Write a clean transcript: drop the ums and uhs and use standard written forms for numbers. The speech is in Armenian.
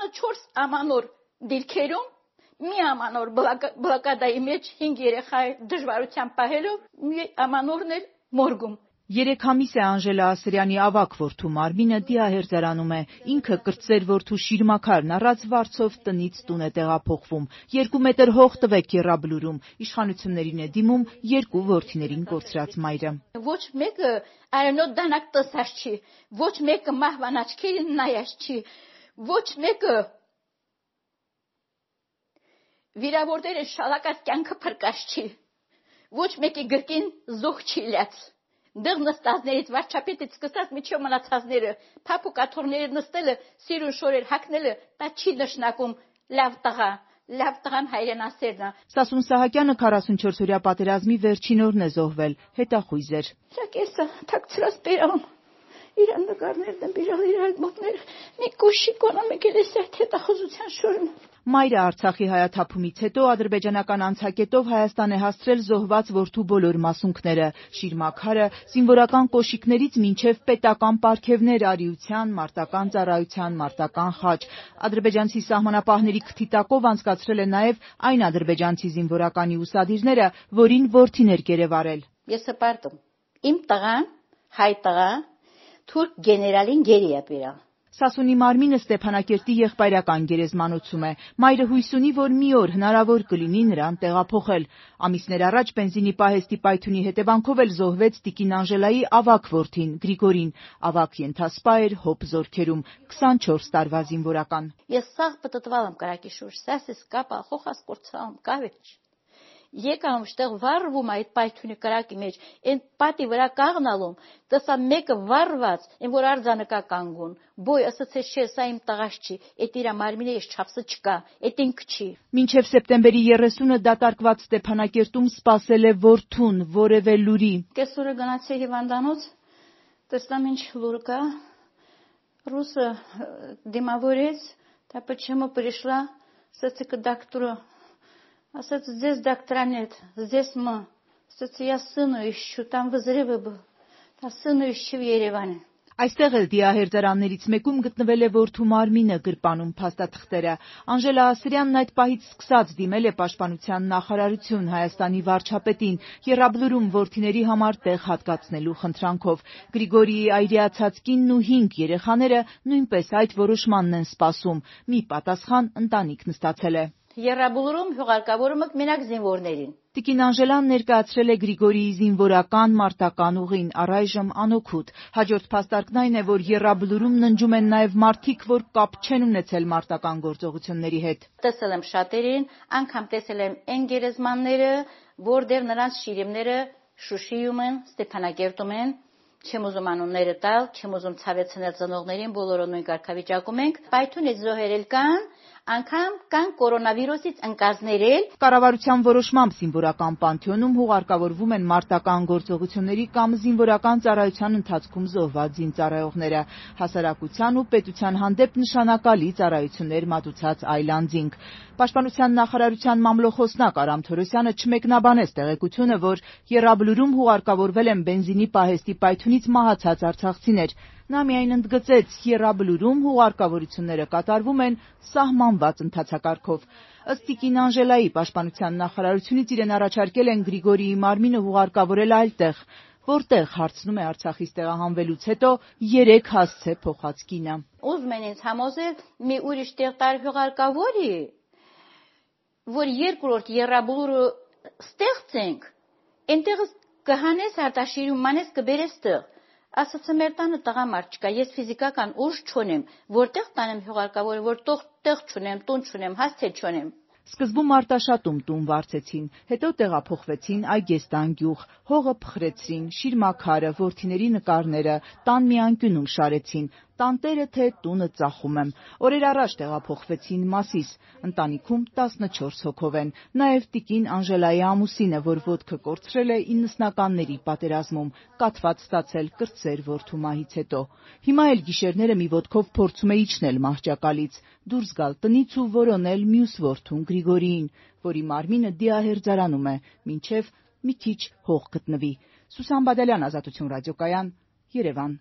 24 ամանոր դիրքերում մի ամանոր բլոկադայի մեջ 5 երեխա դժվարությամբ պահելով մի ամանորն էլ մորգում 3 ամիս է Անժելա Ասրյանի ավագ որդու Մարմինը դիահերձարանում է, ինքը կրտսեր որդու Շիրմաքարն առած վարձով տնից տուն է տեղափոխվում, 2 մետր հող տվեք Եռաբլուրում, իշխանություններին է դիմում 2 որդիներին կորցրած մայրը։ Ոչ մեկը արյունոտ դանակ տեսած չի, ոչ մեկը մահվան աչքերին նայած չի, ոչ մեկը վիրավորները շալակած կյանքը փրկած չի, ոչ մեկի գրկին զոհ չի լյաց։ Դեղ նստածներից վարչապետից սկսած միջև մնացածները, փափուկ աթոռները նստելը, սիրուն շորեր հագնելը, դա չի նշանակում լավ տղան հայրենասերն է։ Սասուն Սահակյանը 44-օրյա պատերազմի վերջին օրն է զոհվել, հետախույզ էր։ Ճակեսը թաքցրած բերան, իրան նկարներն են բերալ, իր ալբոմները, մի կոշիկոն ամեկել է սայթ հետախուզության շորն։ Մայրը Արցախի հայաթափումից հետո ադրբեջանական անցակետով Հայաստան է հասցրել զոհված որդու բոլոր մասունքները՝ Շիրմաքարը, զինվորական կոշիկներից մինչև պետական պարգևներ արիության, մարտական ծառայության, մարտական խաչ։ Ադրբեջանցի սահմանապահների քթի տակով անցկացրել է նաև այն ադրբեջանցի զինվորականի ուսադիրները, որին որդին էր գերեվարել։ Ես հպարտում, իմ տղան, հայ տղա, թուրք գեներալին գերի է բերալ։ Սասունի Մարմինը Ստեփանակերտի եղբայրական գերեզմանոցում է։ Մայրը հույս ունի, որ մի օր հնարավոր կլինի նրան տեղափոխել։ Ամիսներ առաջ բենզինի պահեստի պայթյունի հետևանքով էլ զոհվեց տիկին Անժելայի ավագ որդին Գրիգորին։ Ավագ ենթասպա էր հոբ զորքերում, 24 տարվա զինվորական։ Ես սաղ պտտվալ եմ կրակի շուրջ, սասես կապա, խոխաս կորցրամ, կավեջ։ Եկամ շտեղ վառվում այդ պայթյունի կրակի մեջ, այն պատի վրա կաղնալում, տեսա մեկը վառված, այն որ արձանը կանգուն, բոյ ասացես չէ, սա իմ տղաս չի, այդ իրա Մարմինը ես չափսը չկա, այդ ինքը չի։ Մինչև սեպտեմբերի 30-ը դատարկված Ստեփանակերտում սպասել է որդուն, որևէ լուրի։ Կեսօրը գնացի հիվանդանոց, տեսնամ ինչ լուր կա, ռուսը դիմավորեց, та почему пришла, ասացի к доктору. Ասաց, здесь доктора нет, здесь мы. Ասաց, я сыну ищу, там взрывы был. Та сыну ищу в Երևանը։ Այստեղ էլ դիահերձարաններից մեկում գտնվել է որդու Մարմինը, գրպանում փաստաթղթերը։ Անժելա Ասրյանն այդ պահից սկսած դիմել է Պաշտպանության նախարարություն Հայաստանի վարչապետին, Եռաբլուրում որդիների համար տեղ հատկացնելու խնդրանքով։ Գրիգորիի այրիացած կինն ու 5 երեխաները նույնպես այդ որոշմանն են սպասում։ Մի պատասխան ընտանիքն ստացել է։ Եռաբլուրում հյուղարկավորումը մենակ զինվորներին։ Տիկին Անժելան ներկայացրել է Գրիգորիի զինվորական մարտական ուղին, առայժմ անօգուտ։ Հաջորդ փաստարկն այն է, որ Եռաբլուրում ննջում են նաև մարդիկ, որ կապ չեն ունեցել մարտական գործողությունների հետ։ Տեսել եմ շատերին, անգամ տեսել եմ այն գերեզմանները, որտեղ նրանց շիրիմները Շուշիում են, Ստեփանակերտում են, չեմ ուզում անունները տալ, չեմ ուզում ցավեցնել ծնողներին, բոլորը նույն կարգավիճակում ենք։ Պայթյունից զոհերել կան, անգամ կան կորոնավիրուսից ընկածներել։ Կառավարության որոշմամբ զինվորական պանթեոնում հուղարկավորվում են մարտական գործողությունների կամ զինվորական ծառայության ընթացքում զոհված զինծառայողները, հասարակության ու պետության հանդեպ նշանակալի ծառայություններ մատուցած այլ անձինք։ Պաշտպանության նախարարության մամլոխոսնակ Արամ Թորոսյանը չմեկնաբանեց տեղեկությունը, որ Եռաբլուրում հուղարկավորվել են բենզինի պահեստի պայթյունից մահացած արցախցիներ։ Նա միայն ընդգծեց, Եռաբլուրում հուղարկավորությունները կատարվում են սահմանված ընթացակարգով։ Ըստ տիկին Անժելայի, Պաշտպանության նախարարությունից իրեն առաջարկել են Գրիգորիի Մարմինը հուղարկավորել այլտեղ, որտեղ, հարցնում է Արցախից տեղահանվելուց հետո, 3 հասցե փոխած կինը։ Ուզում են ինձ համոզել մի ուրիշ տեղ հուղարկավորի, որ երկրորդ Եռաբլուրը ստեղծենք, այնտեղ կհանես Արտաշիրում, մանես կբերես տեղ։ Ասացա մեր տանը տղամարդ չկա, ես ֆիզիկական ուժ չունեմ, որտեղ տանեմ հյուղարկավորը, որտեղ տեղ չունեմ, տուն չունեմ, հասցե չունեմ։ Սկզբում Արտաշատում տուն վարձեցին, հետո տեղափոխվեցին Այգեստան գյուղ, հողը փխրեցրին, Շիրմաքարը, որդիների նկարները, տան մի անկյունում շարեցին, տանտերը թե տունը ծախում եմ։ Օրեր առաջ տեղափոխվեցին Մասիս, ընտանիքում 14 հոգով են, նաև տիկին Անժելայի ամուսինը, որ ոտքը կորցրել է 90-ականների պատերազմում, կաթված ստացել կրտսեր որդու մահից հետո։ Հիմա էլ գիշերները մի ոտքով փորձում է իջնել մահճակալից, դուրս գալ տնից ու որոնել մյուս որդուն Գրիգորիին, որի Մարմինը դիահերձարանում է, մինչև մի քիչ հող գտնվի։ Սուսան Բադալյան, Ազատություն ռադիոկայան, Երևան։